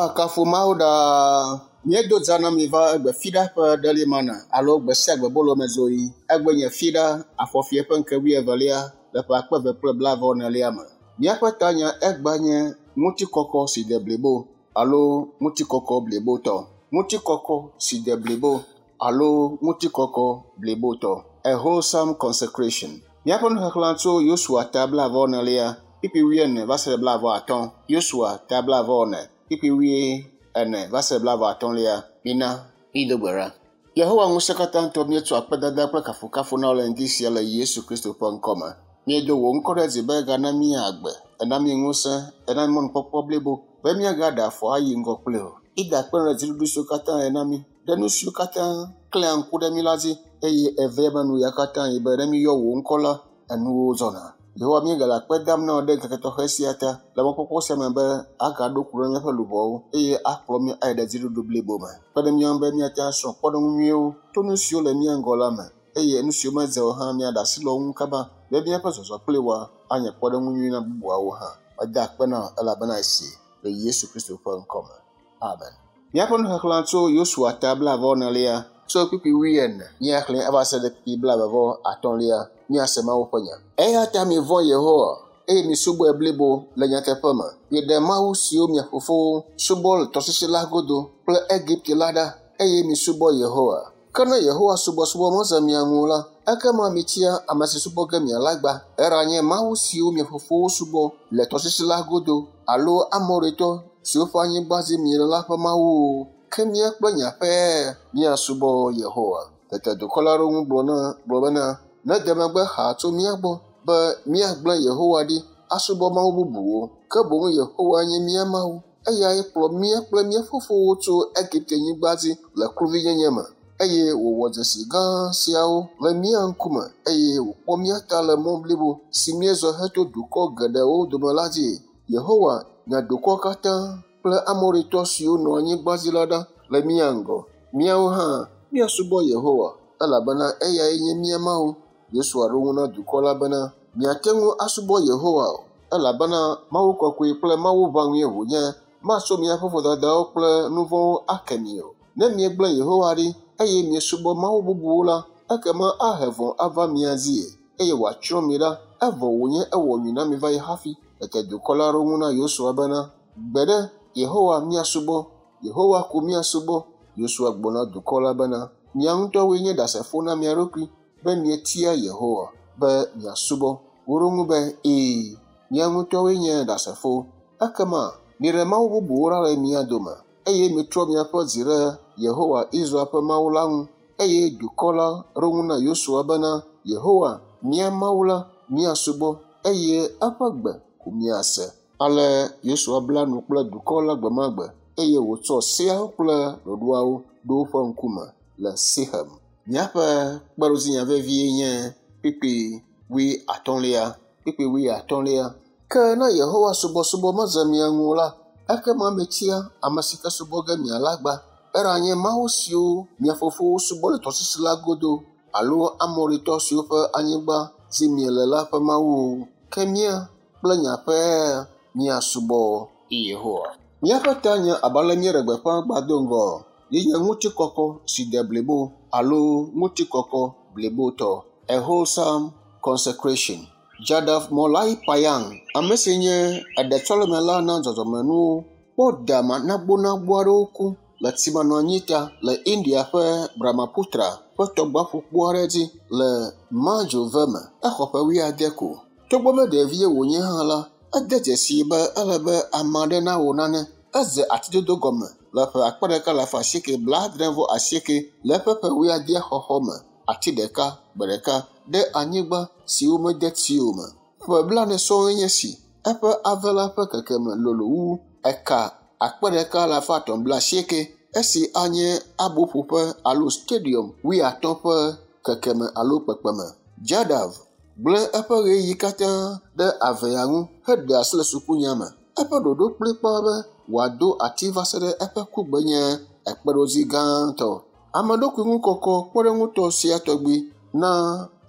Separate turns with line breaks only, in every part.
Woakafu Mawu ɖaa. Míedo dza na mi va egbe Fiɖa ƒe Daily Manna alo gbe sia gbe bolomezoɣi. Egbe nye Fiɖa afɔfie ƒe ŋke wuievelia le ƒe akpe eve kple blaeve-vɔ-enelia me. Míaƒe tanya egbea nye ŋutikɔkɔ si de blibo alo ŋutikɔkɔ blibotɔ. Ŋutikɔkɔ si de blibo alo ŋutikɔkɔ blibotɔ. A wholesome consecration. Míaƒe nuxexlẽ tso Yosua ta blaeve-vɔ-enelia, kpukpui wuiene va se ɖe blaeve-vɔ-atɔ̃. Yosua ta blaeve-vɔ-ene, kpukpui wuiene va se ɖe blaeve-vɔ-atɔ̃lia. Mina mído gbe ɖa. Yehowa ŋusẽkatãtɔ míetsɔ akpedada kple kafukafu na wò le ŋdi sia le Yesu Kristo ƒe ŋkɔ me. Míedo wò ŋkɔ ɖe dzi be ègana mí agbe, èna mí ŋusẽ, èna mí mɔnukpɔkpɔ blibo be míagaɖe afɔ ayi ŋgɔ kpli wò. Mída akpe na wò ɖe dziɖuɖu siwo katã nèna mí, ɖe nu siwo katã klẽa ŋku ɖe mí la dzi eye èvea eme nu ya katã yi be ne míeyɔ wò ŋkɔ la, enuwo zɔna. Yehowa míegale akpe dam na wò ɖe ŋkeke tɔxɛ sia ta le mɔkpɔkpɔ sia me be agaɖo ku ɖe míaƒe luʋɔwo eye akplɔ mí ayi ɖe dziɖuɖu blibo me. Kpe ɖe mía ŋu be míate ŋu asrɔ̃ kpɔɖeŋu nyuiwo to nu siwo le mía ŋgɔ la me eye nu siwo medze o hã míaɖe asi le wo ŋu kaba be míaƒe zɔzɔ kpli woa anye kpɔɖeŋu nyui na bubuawo hã. Meda akpe na wò elabena èsee le Yesu Kristo ƒe ŋkɔ me. Amen. Míaƒe nuxexlẽ tso Yosua ta blaeve-vɔ-enelia tso kpukpui wuiene míaxlẽe ava se ɖe kpukpui blaeve-vɔ-atɔ̃lia míase Mawu ƒe nya. Eya ta mivɔ̃ Yehowa, eye misubɔe blibo le nyateƒe me. Miɖe mawu siwo mia fofowo subɔ le tɔsisi la godo kple Egipte la ɖa, eye misubɔ Yehowa. Ke ne Yehowa subɔsubɔ meze mia ŋu o la, ekema mitia ame si subɔ ge miala gbã, eɖanye mawu siwo mia fofowo subɔ le tɔsisi la godo alo Amoritɔ siwo ƒe anyigba dzi miele la ƒe mawu o, ke mía kple nye aƒea míasubɔ Yehowa. Tete dukɔ la ɖo eŋu gblɔ bena, Nede megbe xaa tso mía gbɔ be míagblẽ Yehowa ɖi asubɔ mawu bubuwo, ke boŋ Yehowae nye mía Mawu. Eyae kplɔ mía kple mía fofowo tso Egipte-nyigba dzi le kluvinyenye me, eye wòwɔ dzesi gã siawo le mía ŋkume, eye wòkpɔ mía ta le mɔ blibo si míezɔ heto dukɔ geɖewo dome la dzi. Yehowa nya dukɔwo katã kple Amoritɔ siwo nɔ anyigba dzi la ɖa le mía ŋgɔ. Míawo hã míasubɔ Yehowa, elabena eyae nye mía Mawu. Yosua ɖo eŋu na dukɔ la bena, Miate ŋu asubɔ Yehowa o, elabena Mawu kɔkɔe kple Mawu ʋãŋue wònye. Matsɔ miaƒe vodadawo kple nu vɔ̃wo ake mi o. Ne miegblẽ Yehowa ɖi, eye miesubɔ mawu bubuwo la, ekema ahe vɔ̃ ava mia dzie, eye wòatsrɔ̃ mi ɖa, evɔ wònye ewɔ nyui na mi va yi hafi. Tete dukɔ la ɖo eŋu na Yosua bena, Gbeɖe, Yehowa míasubɔ, Yehowa ko míasubɔ. Yosua gblɔ na dukɔ la bena, Mia ŋutɔwoe nye ɖasefo na mia ɖokui be mietia Yehowa be miasubɔ. Woɖo eŋu be, Ɛ̃, mía ŋutɔwoe nye ɖasefo. Ekema miɖe mawu bubuwo ɖa le mia dome, eye mitrɔ miaƒe dzi ɖe Yehowa, Israel ƒe Mawu la ŋu. Eye dukɔ la ɖo eŋu na Yosua bena, Yehowa, mía Mawu la, míasubɔ, eye eƒe gbe ko míase. Ale Yosua bla nu kple dukɔ la gbe ma gbe, eye wòtsɔ seawo kple ɖoɖoawo ɖo woƒe ŋkume le Sixem. Míaƒe kpeɖodzinya vevie nye kpukpui wuiatɔ̃lia. Kpukpui wuiatɔ̃lia. Ke ne Yehowa subɔsubɔ medze mia ŋu o la, ekema mitia ame si ke subɔ ge miala gbã, eɖanye mawu siwo mia fofowo subɔ le tɔsisi la godo alo Amoritɔ siwo ƒe anyigba dzi miele la ƒe mawu o. Ke mía kple nye aƒea míasubɔ Yehowa. Míaƒe tanya abe ale míeɖe gbeƒã gbã do ŋgɔ ye nye ŋutikɔkɔ si de blibo alo ŋutikɔkɔ blibotɔ. A wholesome consecration. Jadav Molai Payang, ame si nye eɖetsɔlemela na dzɔdzɔmenuwo, kpɔ dama nagbonagbo aɖewo ku le tsimanɔanyi ta le India ƒe Brahmaputra ƒe tɔgbaƒukpo aɖe dzi le Majove me. Exɔ ƒe wuiade ko. Togbɔ be ɖevie wònye hã la, ede dzesii be ele be ame aɖe nawɔ nane. Edze atidodo gɔme le ƒe akpe ɖeka alafa asieke blaadre vɔ asieke le eƒe ƒe wuiadea xɔxɔ me, ati ɖeka gbe ɖeka ɖe anyigba si womede tsi o me. Ƒe blaene sɔŋe nye esi eƒe ave la ƒe kekeme lolo wu eka akpe ɖeka alafa etɔ̃ blaasieke, esi anye aboƒoƒe alo stadium wuiatɔ̃ ƒe kekeme alo kpekpeme. Jadav gblẽ eƒe ɣeyiɣi katã ɖe avea ŋu heɖe asi le sukunya me. Eƒe ɖoɖo kplikpaa be wòado ati va se ɖe eƒe kugbe nye kpeɖodzi gãtɔ. Ame ɖokui ŋu kɔkɔ kpɔɖeŋutɔ sia tɔgbi na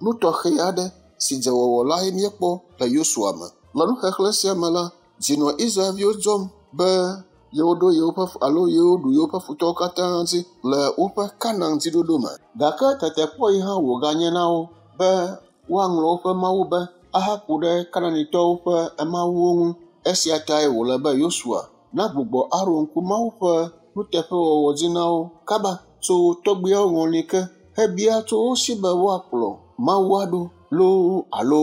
nu tɔxɛ aɖe si dze wɔwɔ lae míekpɔ le Yosua me. Le nuxexlẽ sia me la, dzi nɔ Israel-viwo dzɔm be yewoɖo yewoƒe alo yewoɖu yewoƒe futɔwo katã dzi le woƒe Kanaan dziɖoɖo me. Gake tetekpɔ yi hã wòganye na wo be woaŋlɔ woƒe mawu be ahaku ɖe Kanaanitɔwo ƒe mawuwo ŋu. Esia tae wòle be Yosua nagbugbɔ aɖo ŋku Mawu ƒe nuteƒewɔwɔ dzi na wo kaba tso tɔgbuiawo ŋɔli ke hebia tso wo si be woakplɔ Mawu aɖo loo alo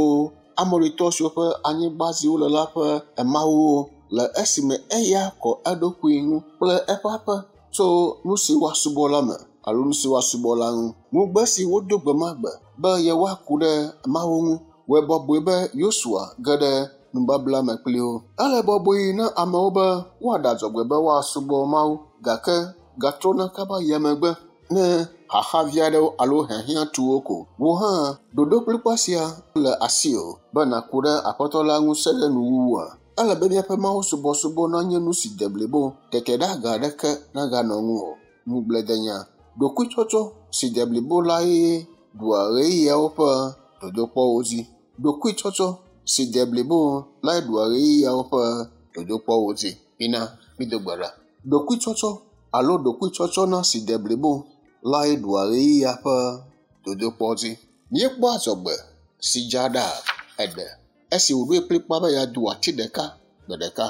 Amoritɔ siwo ƒe anyigba dzi wole la ƒe mawuwo le esime eya kɔ eɖokui ŋu kple eƒe aƒe tso nu si woasubɔ la me alo nu si woasubɔ la ŋu. Ŋugbe si wodo gbe ma gbe be yewoaku ɖe Mawu ŋu wɔe bɔbɔe be Yosua ge ɖe nubabla me kpli wo. Ele bɔbɔe na amewo be woaɖe adzɔgbe be woasubɔ Mawu gake gatrɔna kaba yia megbe ne xaxa vi aɖewo alo hiahiã tu wo ko. Wò hã ɖoɖo kplikpa sia le asiwò be nàku ɖe Aƒetɔ la ŋu se ɖe nuwuwua? Ele be míaƒe Mawu subɔsubɔ nanye nu si de blibo, tete ɖe aga aɖeke naganɔ ŋu o. Ŋugbledenya, ɖokuitsɔtsɔ si de blibo lae ɖua ɣeyiɣiawo ƒe dodokpɔwo dzi. Ɖokuitsɔtsɔ si de blibo lae ɖua ɣeyiɣiawo ƒe dodokpɔwo dzi. Mina mído gbe ɖa. Ɖokuitsɔtsɔ alo ɖokuitsɔtsɔna si de blibo lae ɖua ɣeyiɣia ƒe dodokpɔ dzi. Míekpɔ adzɔgbe si dza ɖa eɖe esi wòɖoe kplikpaa be yeado ati ɖeka gbe ɖeka.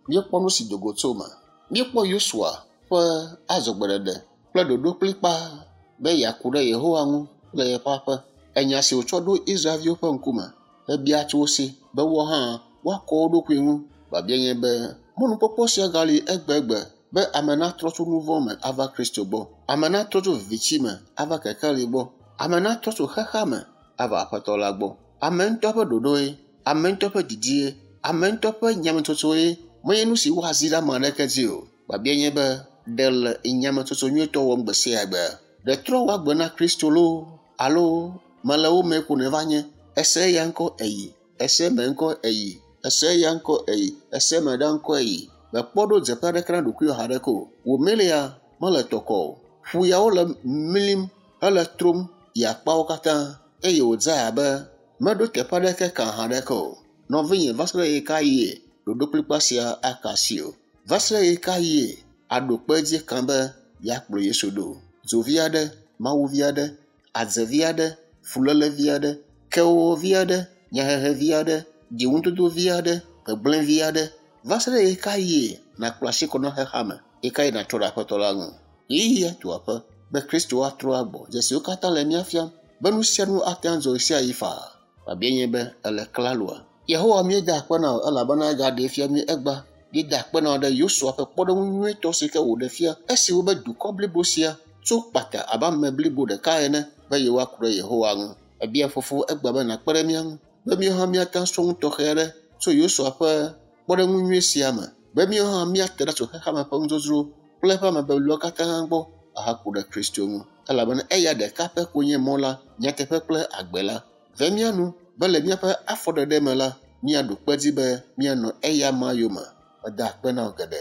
Míekpɔ nu si do go tso eme. Míekpɔ Yosua ƒe adzɔgbeɖeɖe kple ɖoɖo kplikpaa be yeaku ɖe Yehowa ŋu le yeƒe aƒe. Enya si wòtsɔ ɖo Israelviwo ƒe ŋkume hebia tso wo si be woawo hã woakɔ wo ɖokui ŋu. Biabia nye be mɔnukpɔkpɔ sia gali egbegbe be ame natrɔ tso nu vɔ̃ me ava Kristo gbɔ. Ame natrɔ tso viviti me ava kekeli gbɔ. Ame natrɔ tso xexea me ava Aƒetɔ la gbɔ. Ame ŋutɔ ƒe ɖoɖoe, ame ŋutɔ ƒe didie, ame ŋutɔ ƒe nyametsotsoe menye nu si woazi ɖe ame aɖeke dzi o. Biabia nye be ɖe le nyametsotso nyuietɔ wɔm gbe sia gbe? Ɖe trɔ wò agbe na Kristo loo alo mele wo me ko nèva nye? Ese eya ŋkɔ eyi, ese eme ŋkɔ eyi, ese eya ŋkɔ eyi, ese eme ɖa ŋkɔ eyi. Mèkpɔ ɖo dzeƒe aɖeke na ɖokuiwò haɖeke o. Wò melia mele tɔkɔ o. Ƒu yawo le mlim hele trom yi akpawo katã eye wòdze abe meɖo teƒe aɖeke ka haɖeke o. Nɔvinye, va se ɖe ɣe ka ɣie ɖoɖo kplikpa sia aka asi o? Va se ɖe ɣe ka ɣie aɖo kpe edzi kan be yeakplɔ Yesu ɖo? Dzovi aɖe, Mawuvi aɖe, adzevi aɖe, fulélevi aɖe, kewɔwɔvi aɖe, nyahehevi aɖe, dziŋudodovi aɖe, gbegblẽvi aɖe. Va se ɖe ɣe ka ɣie nàkplɔ asi kɔ na xexea me? Ɣe ka ɣie nàtrɔ ɖe Aƒetɔ la ŋu? Ɣeyiɣia tu aƒe be Kristo atrɔ agbɔ. Dzesiwo katã le mía fiam be nu sia nu ate ŋu adzɔ ɣesiaɣi faa. Biabia nye be ele klaloa? Yehowa míeda akpe na wò elabena egaɖee fia mí egbea. Míeda akpe na wò ɖe Yosua ƒe kpɔɖeŋu nyuitɔ si ke wòɖe fia esi wobe dukɔ blibo sia tso kpata abe ame blibo ɖeka ene be yewoaku ɖe Yehowa ŋu. Ebia Fofo egbea be nàkpe ɖe mía ŋu be míawo hã míate ŋu asrɔ̃ nu tɔxɛ aɖe tso Yosua ƒe kpɔɖeŋu nyui sia me be míawo hã míate ɖa tso xexeame ƒe nudzodzro kple eƒe amebeblewo katã gbɔ ahaku ɖe Kristo ŋu elabena eya ɖeka pɛ koe nye mɔ la, nyateƒe kple agbe la. Ve mía nu be le míaƒe afɔɖeɖe me la, míaɖo kpe edzi be míanɔ eya ma yome. Meda akpe na wò geɖe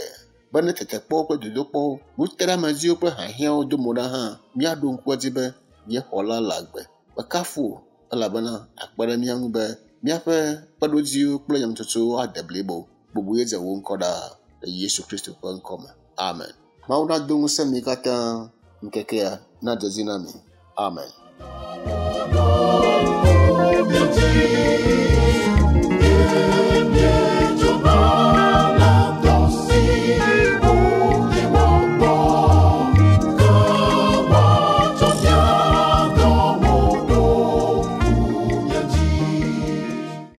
be ne tetekpɔwo kple dodokpɔwo, nuteɖeamedziwo kple hiahiãwo do mo ɖa hã, míaɖo ŋku edzi be mía Xɔla le agbe. Mekafu wò elabena akpe ɖe mía ŋu be míaƒe kpeɖodziwo kple nyametsotsowo ade blibo. Bubu ye dze wò ŋkɔ ɖaa le Yesu Kristo ƒe ŋkɔ me. Amen. Mawu nado ŋusẽ mi katã ŋkekea nadze edzi na mi. Amen.